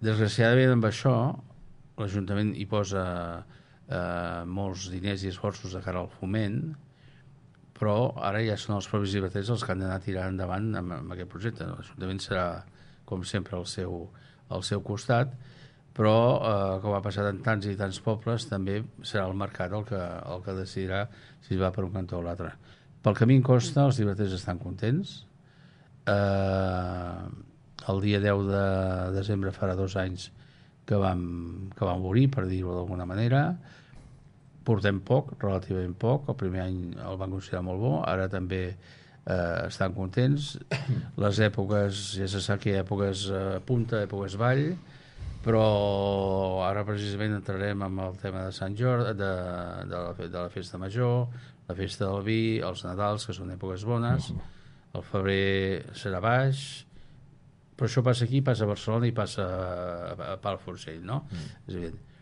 Desgraciadament amb això l'Ajuntament hi posa molts diners i esforços de cara al foment, però ara ja són els propis llibreters els que han d'anar tirant endavant amb aquest projecte. L'Ajuntament serà, com sempre, al seu costat, però, com ha passat en tants i tants pobles, també serà el mercat el que decidirà si es va per un cantó o l'altre. Pel camí en costa, els llibreters estan contents. El dia 10 de desembre farà 2 anys que vam obrir, per dir-ho d'alguna manera. Portem poc, relativament poc. El primer any el van considerar molt bo, ara també estan contents. Les èpoques, ja se sap que hi ha èpoques punta, èpoques vall, però ara precisament entrarem amb el tema de Sant Jordi, de la festa major, la festa del vi, els Nadals, que són èpoques bones. El febrer serà baix, però això passa aquí, passa a Barcelona i passa a Palafrugell, no? És evident.